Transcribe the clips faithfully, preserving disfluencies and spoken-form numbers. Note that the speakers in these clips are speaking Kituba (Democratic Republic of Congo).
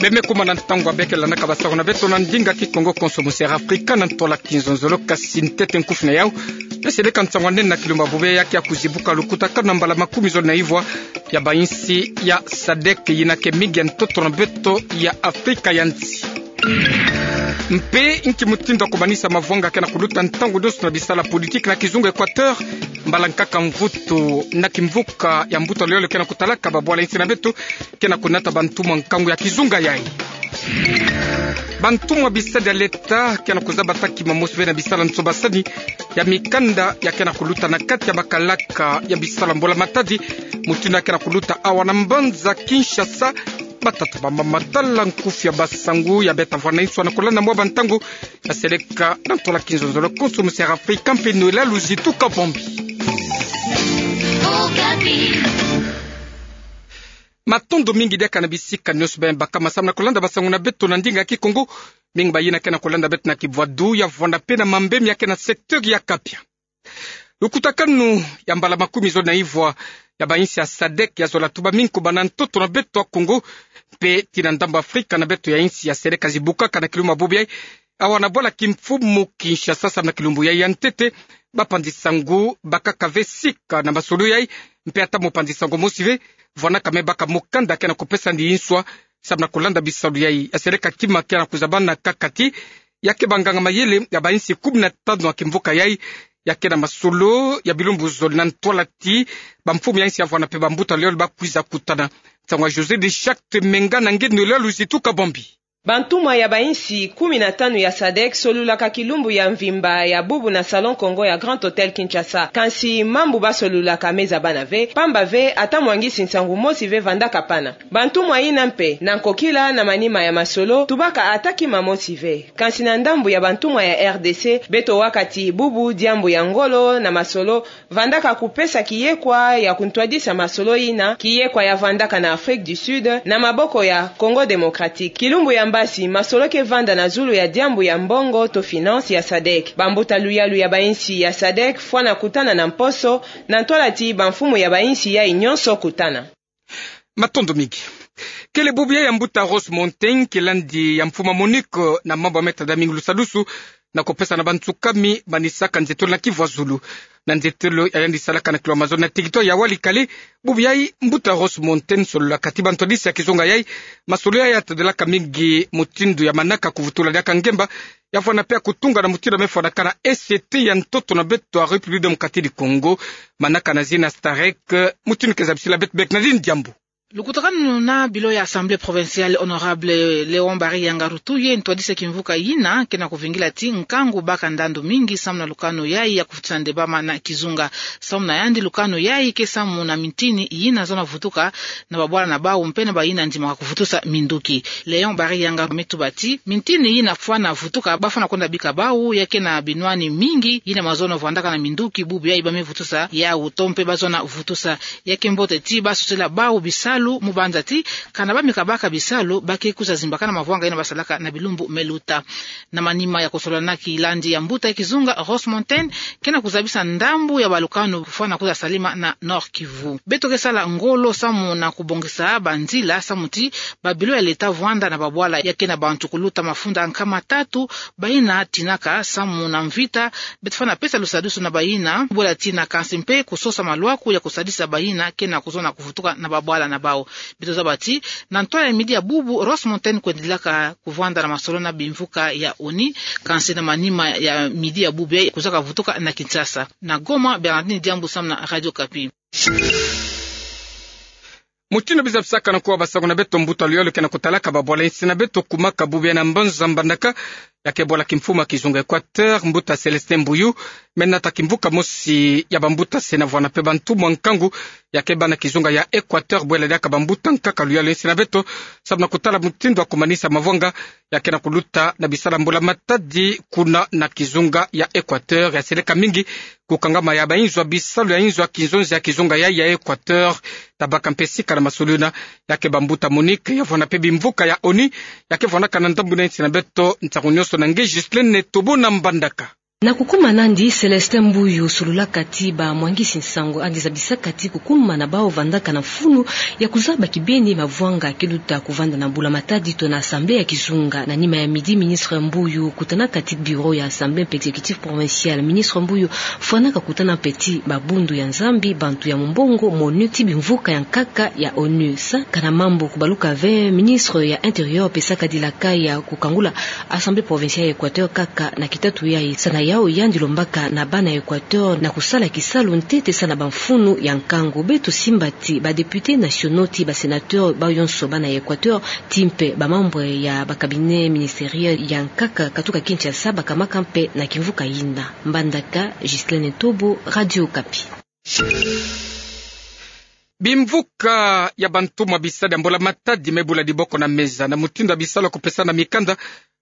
Beme kuma na ntangu ya beke landaka basangula beto na ndinga Kikongo konso mu Sera Afrika na ntwala kinzonzolo, kasi ntete nkufi na yau, yaseleka nsangu ya nene na kilumbu bubu ya ke ya kuzibuka lukutakanu na mbala makumi zole na ivwa ya bainsi ya sadek, yina ke mingi ya ntoto na beto ya Afrika ya nsi. Mpe nki mutindu ya kumanisa mavwanga ke na kuluta ntangu nyoso na bisala politiki na kizunga Equateur, mbala nkaka mvutu na kimvuka ya mbuta luyalo ke na kutalaka babwala insi na beto ke na kunata bantumwa nkangu ya kizunga yai. Bantumwa bisadi ya leta ke na kuzaba ta kima mosi ve na bisala nsobasani ya mikanda ya ke na kuluta na kati ya bakalaka ya bisala mbula matadi, mutindu ya ke na kuluta awa na mbanza Kinshasa. Batata bamama, tala nkufi ya basangu ya beta vwa na inswa na kolanda mwa bantangu, yaseleka na ntwala kinzonzolo konso mu Sera Afrika mpe Noëlla Luzitu Kabambi. Matondo mingi diaka na bisika nyoso beno bakama samu na kolanda basangu na beto na ndinga Kikongo. Mingi bayina ke na kolanda beto na kibwadu ya vwanda mpe na mambemi ya ke na secteur ya Kapia. Lukutakanu ya mbala makumi zole na ivwa ya bainsi ya sadek yazola tuba mingi kubanda na ntoto na beto ya Kongo mpe tii na ndambu Afrika na beto ya insi yaseleka zibukaka na kilumbu bubu yai, awa na bwala kimfumu Kinshasa samu na kilumbu yai ya ntete. Bapanzi sangu bakaka ve sika na masolo yai, mpe ata mopanzi sangu mosi ve vwanaka me baka mukanda ke na kupesa ndi inswa samu na kolanda bisalu yai. Yaseleka kima ke na kuzabana kaka ti ya ke banganga mayele ya bainsi kumi na tanu ya kimvuka yai ya ke na masolo ya bilumbu zole na ntwala ti bamfumu ya insi ya vwanda mpe bambuta luyalo bakwiza kutana. Nsangu ya José de Chacte Menga na nge Noëlla Luzitu Kabambi. Bantumwa ya bainsi kumi na tanu ya sadek solulaka kilumbu ya mvimba ya bubu na Salon Kongo ya Grand Hôtel Kinshasa. Kansi mambu basolulaka me zabana ve, pamba ve ata mwangisi nsangu mosi ve vandaka pana. Bantumwa yina mpe, na nkokila na manima ya masolo, tubaka ata kima mosi ve. Kansi na ndambu ya bantumwa ya R D C, beto waka ti bubu diambu ya ngolo na masolo vandaka kupesa kiyekwa ya kuntwadisa masolo yina, kiyekwa ya vandaka na Afrique du Sud na maboko ya Congo Démocratique. Kilumbu ya mbasi, masolo ke vanda na zulu ya diambu ya mbongo to finance ya sadek. Bambuta luyalu ya bainsi ya sadek fwana kutana na mposo, na ntwala ti bamfumu ya bainsi yai nyonso kutana. Matondo mingi. Kele bubu yai ya mbuta Ross Montaigne, kilandi ya mfumu ya Monique na mambu ya meta da mingi lusadusu na kupesa na bantsukami banisaka nzietolo na kivwazulu. Na nzietolo ya yandi salaka na kilo ya mazolo na territoire ya Walikale, bubu yai mbuta Ross Montaigne solulaka ti bantwadisi ya kizunga yai, masolo yai yatadelaka mingi mutindu ya manaka kuvutula diaka ngemba, ya vwanda mpe ya kutunga na mutindu ya me vwandaka na E C T ya ntoto na beto ya République Démocratique du Congo, manaka na zina Starec, mutindu ke zabisila beto Bernardine Diambu. Lukutakanu na bilo ya Assemblée provinciale, Honorable Léon Barry Yanga Rutu, ye ntwadisi ya kimvuka yina, ke na kuvingila ti nkangu baka ndandu mingi samu na lukanu yai ya kuvutisa nde bama na kizunga. Samu na yandi lukanu yai ke samu na mintini yina zona vutuka na babwala na bau mpe na bayina ndimaka kuvutusa minduki. Léon Barry Yanga me tuba ti, mintini yina fwana vutuka, bafwana kwenda bika bau, ya ke na binwani mingi yina mazono vwandaka na minduki bubu yai ba me vutusa yau to mpe bazona vutusa. Ya ke mbote ti basosela bau bisalu, mu banza ti kana ba me kabaka bisalu, ba ke kwiza zimbakana mavwanga yina basalaka na bilumbu me luta. Na manima ya kusolola na kilandi ya mbuta ya kizunga Ross Montaigne, ke na kuzabisa ndambu ya balukanu fwana kwiza salima na Nord-Kivu. Beto ke sala ngolo samu na kubongisa banzila samu ti babilo ya leta vwanda na babwala ya ke na bantu kuluta mafunda nkama tatu, bayina tinaka samu na mvita. Beto fwana pesa lusadusu na bayina bwela tina, kansi mpe kusosa malwaku ya kusadisa bayina ke na kuzona kuvutuka na babwala na bau. Beto zaba ti, na ntwala ya midi ya bubu, Ross Montaigne kwendilaka kuvwanda na masolo na bimvuka ya ONU, kansi na manima ya midi ya bubu yai kwizaka vutuka na Kinshasa. Na Goma, Bernardine Diambu samu na Radio Okapi. Mutindu biza bisakana kwa basangu na beto, mbuta luyalo ke na kutalaka babwala insi na beto kumaka bubu yai na mbanza Mbandaka, ya ke bwala kimfumu ya kizunga Équateur, mbuta Célestin Mbuyu, me nata kimvuka mosi ya bambuta se na vwanda mpe bantumwa nkangu ya ke bâ na kizunga ya Équateur, bwela diaka bambuta nkaka luyalo insi na beto, samu na kutala mutindu ya kumanisa mavwanga ya ke na kuluta na bisala mbula matadi kuna na kizunga ya Équateur, yaseleka mingi kukangama ya bainzo ya bisalu ya inzo ya kinzonzi ya kizunga yai ya Équateur, tabaka mpe sika na masolo yina. Ya ke bambuta Monique ya vwanda mpe bimvuka ya ONU ya ke vwandaka na ndambu na insi na beto. Nsangu nyonso na nge Ghislaine Tobona Mbandaka. Na kukuma nandi, Célestin Mbuyu sololaka ti bamwangisi nsango yandi zabisaka ti kukuma na bau vandaka na mfunu ya kuzaba kibeni mavwanga kiluta kuvanda na Mbula Matadi to na Assemblée ya kizunga. Na nima ya midi, ministre Mbuyu kutanaka ti bureau ya Assemblée mpe exécutif provincial. Ministre Mbuyu fwanaka kutana mpe ti babundu ya Nzambi, bantu ya mumbongo, MONUC, ti bimvuka ya nkaka ya ONU. Sa kana mambu kubaluka ve, ministre ya Intérieur pesaka dilaka ya kukangula Assemblée provinciale ya Équateur kaka na kitatu yayi. Sa na yau, yandi lombaka na bana ya Équateur na kusala kisalu ntete sa na bamfunu ya nkangu. Beto simba ti ba députés nationaux ti ba sénateurs, bau yonso bana ya Équateur, ti mpe ba membres ya ba cabinets ministériels ya nkaka katuka Kinshasa bakamaka mpe na kimvuka yina. Mbandaka, Ghislaine Ntobo, Radio Okapi. Bimvuka ya bantumwa bisadi ya Mbula Matadi me bula diboko na meza na mutindu ya bisalu ya kupesana mikanda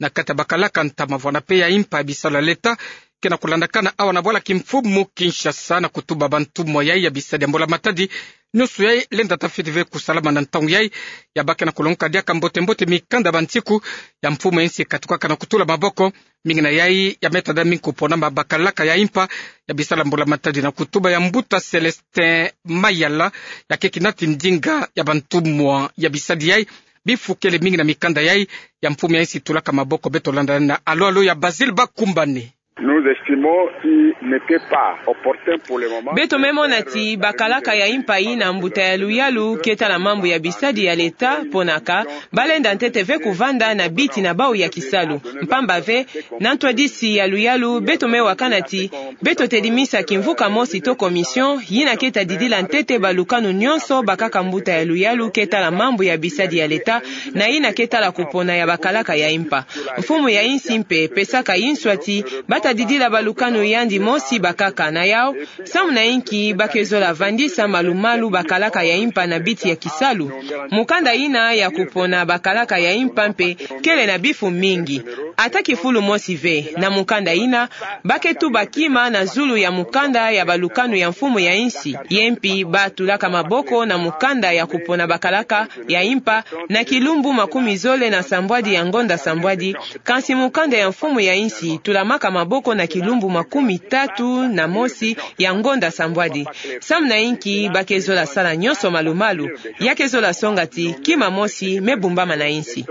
na kati ya bakalaka ntama vwanda mpe ya impa ya bisalu ya leta ke na kulandakana awa na bwala kimfumu Kinshasa, na kutuba bantumwa yayi ya bisadi ya Mbula Matadi nionso yayi lenda ta fiti ve kusalama na ntangu yayi. Ya ba ke na kulongoka diaka mbote mbote mikanda ya bansiku ya mfumu ya insi katukaka na kutula maboko. Mingi na yayi ya me tada mingi kupona ma bakalaka ya impa ya bisalu ya Mbula Matadi, na kutuba ya mbuta Célestin Mayala, ya ke kina ti ndinga ya bantumwa ya bisadi yayi. Bifukele mingi na mikanda yayi ya mfumu ya insi tulaka maboko. Beto landa na alo alo ya Basile Bakumbane. Nous estimons qu'il n'était pas opportun pour le moment. Beto me mona ti bakalaka ya impa yina mbuta ya luyalu ke tala mambu ya bisadi ya leta ponaka, ba lenda ntete ve kuvanda na biti na bau ya kisalu. Mpamba ve, na ntwadisi ya luyalu, beto me wakana ti beto tedi misa kimvuka mosi to commission yina ke ta didila ntete balukanu nionso bakaka mbuta ya luyalu ke tala mambu ya bisadi ya leta, na yina ke tala kupona ya bakalaka ya impa. Mfumu ya insi mpe pesaka inswa ti ba ta didila balukanu yandi mosi bakaka. Na yau, samu na inki ba ke zola vandisa malu-malu bakalaka ya impa na biti ya kisalu? Mukanda yina ya kupona bakalaka ya impa mpe kele na bifu mingi. Ata kifulu mosi ve na mukanda yina, ba ke tuba kima na zulu ya mukanda ya balukanu ya mfumu ya insi. Ye mpi ba tulaka maboko na mukanda ya kupona bakalaka ya impa na kilumbu makumi zole na sambwadi ya ngonda sambwadi, kansi mukanda ya mfumu ya insi tulamaka maboko na kilumbu makumi tatu na mosi ya ngonda sambwadi. Samu na inki ba ke zola sala nionso malu-malu? Ya ke zola songa ti kima mosi me bumbama na insi.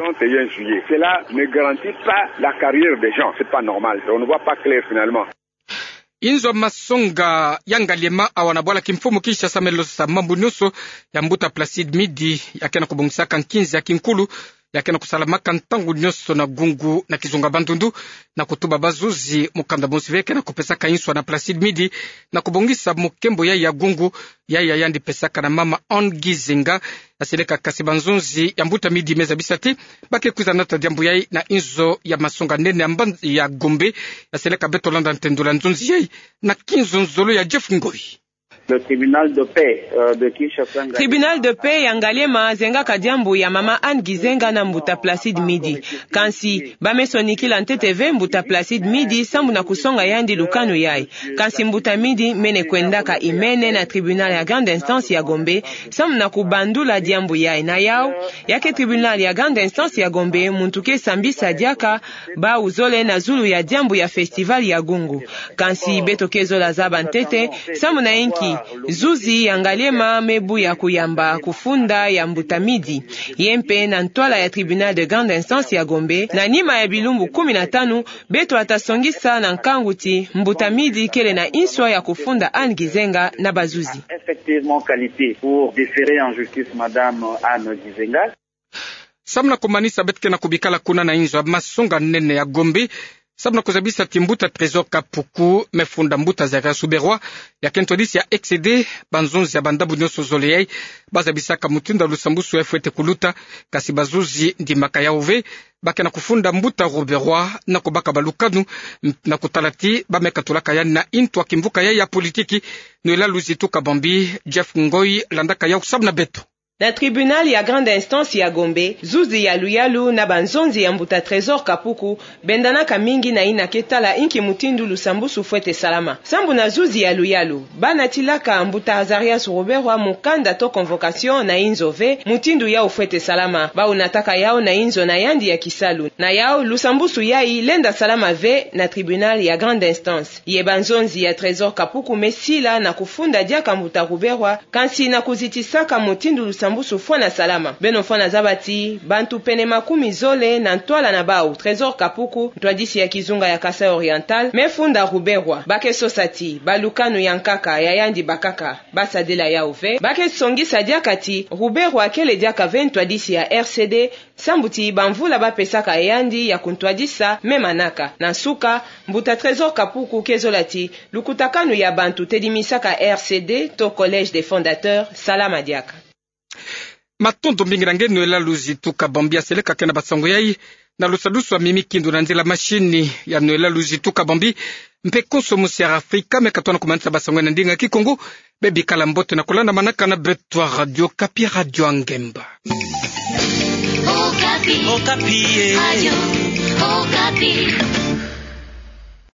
Cela ne garantit pas la carrière des gens. C'est pas normal. On ne voit pas clair finalement. Inzo masonga ya Ngaliema awa na bwala kimfumu Kinshasa me losa mambu nionso ya mbuta Placide Midi, ya ke na kubongisaka nkinzi ya kinkulu, ya ke na kusalamaka ntangu nionso na Gungu na kizunga Bandundu, na kutuba bazuzi mukanda mosi ve ke na kupesaka inswa na Placide Midi na kubongisa mukembo yayi ya Gungu, yayi ya yandi pesaka na mama Anne Gizenga. Ya seleka kasi banzonzi ya mbuta Midi me zabisa ti ba ke kwiza nata diambu yayi na inzo ya masonga nene ya mban-, ya Gombe. Ya seleka beto landa ntendula nzonzi yayi na kinzonzolo ya Jeff Ngoi. Le tribunal de paix, euh, de Kinshasa, Ngaliema. Tribunal de paix ya Ngaliema zengaka diambu ya mama Anne Gizenga na mbuta Placide Midi. Kansi ba me sonikila ntete ve mbuta Placide Midi sambu na kusonga yandi lukanu yayi. Kansi mbuta Midi mene kwendaka imene na tribunal ya grande instance ya Gombe sambu na kubandula diambu yayi. Na yau, ya ke tribunal ya grande instance ya Gombe muntu ke sambisa diaka bau zole na zulu ya diambu ya festival ya Gungu. Kansi beto ke zola zaba ntete sambu na inki zuzi ya Ngaliema me buya kuyamba kufunda ya mbuta Midi. Ye mpe na ntwala ya tribunal de grande instance ya Gombe, na nima ya bilumbu kumi na tanu, beto ta songisa na nkangu ti mbuta Midi kele na inswa ya kufunda Anne Gizenga na bazuzi. Effectivement qualité pour déférer en justice madame Anne Gizenga. Sambu na kumanisa, beto ke na kubikala kuna na inzo ya masonga nene ya Gombe sambu na kuzabisa ti mbuta Trésor Kapuku me funda mbuta Zarias Ruberwa, ya ke ntwadisi ya ECD, banzonzi ya bandambu nionso zole yayi ba zabisaka mutindu ya lusambusu yayi fwete kuluta. Kansi bazuzi ndimaka yau ve, ba ke na kufunda mbuta Ruberwa na kubaka balukanu, na kutala ti ba me katulaka yandi na intu ya kimvuka yayi ya politiki. Noëlla Luzitu Kabambi, Jeff Ngoi landaka yau sambu na beto. Na tribunal ya grande instance ya Gombe, zuzi ya luyalu na banzonzi ya mbuta Trésor Kapuku bendanaka mingi na yina ke tala inki mutindu lusambusu fwete salama. Sambu na zuzi ya luyalu, ba natilaka mbuta Azarias Ruberwa mukanda to convocation na yinzo ve mutindu yau fwete salama. Bau nataka yau na yinzo na yandi ya kisalu. Na yau, lusambusu yayi lenda salama ve na tribunal ya grande instance. Ye banzonzi ya Trésor Kapuku me sila na kufunda diaka mbuta Ruberwa, kansi na kuzitisaka mutindu lusambusu fwana salama. Beno fwana zaba ti bantu pene makumi zole na ntwala na bau, Trésor Kapuku, ntwadisi ya kizunga ya Kasaï Oriental, me funda Ruberwa. Ba ke sosa ti balukanu ya nkaka ya yandi bakaka ba sadila yau ve. Ba ke songisa diaka ti Ruberwa kele diaka ve ntwadisi ya R C D, sambu ti bamvula ba pesaka yandi ya kuntwadisa me manaka. Na nsuka, mbuta Trésor Kapuku ke zola ti lukutakanu ya bantu tedimisaka R C D to Collège des fondateurs salama diaka. Matondo mingi na nge Noëlla Luzitu Kabambi, aseleka ke na basango yayi na lusadusu a mimi kindu na nzila mashini ya Noëlla Luzitu Kabambi. Mpe konso musi ya Afrika me katona kumanisa basango na ndinga Kikongo. Bebikala mbote na kulanda manaka na beto ya Radio Okapi, Radio ya Ngemba. Okapi. Okapi, eh. Radio Okapi.